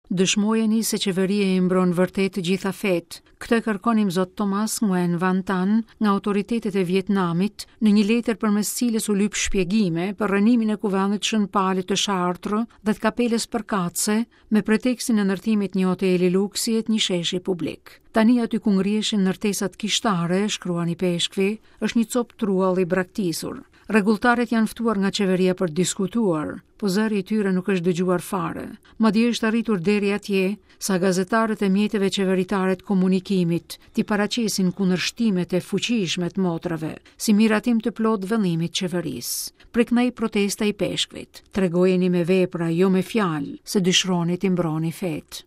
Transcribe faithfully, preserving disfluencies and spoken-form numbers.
Dëshmojeni se qeveria i mbron vërtet të gjitha fetë. Këtë e kërkon Imzot Thomas Nguyen Van Tan nga autoritetet e Vietnamit në një letër përmes cilës u lyp shpjegime për rrënimin e kuvendit Shën Palit të Chartres dhe të kapelës përkatëse me pretekstin e ndërtimit një hoteli luksi e të një sheshi publik. Tani aty ku ngriheshin ndërtesat kishtare, shkruan ipeshkvi, është një copë truall i braktisur. Rregulltarët janë ftuar nga qeveria për të diskutuar, po zëri i tyre nuk është dëgjuar fare. Madje është arritur deri atje sa gazetarët e mjeteve qeveritare të komunikimit t'i paraqesin kundërshtimet e fuqishme të motrave, si miratim të plotë vëllimit qeverisë. Preknaj protesta i peshkvit. Tregojeni me vepra, jo me fjalë, se dëshironi t'i mbroni fetë.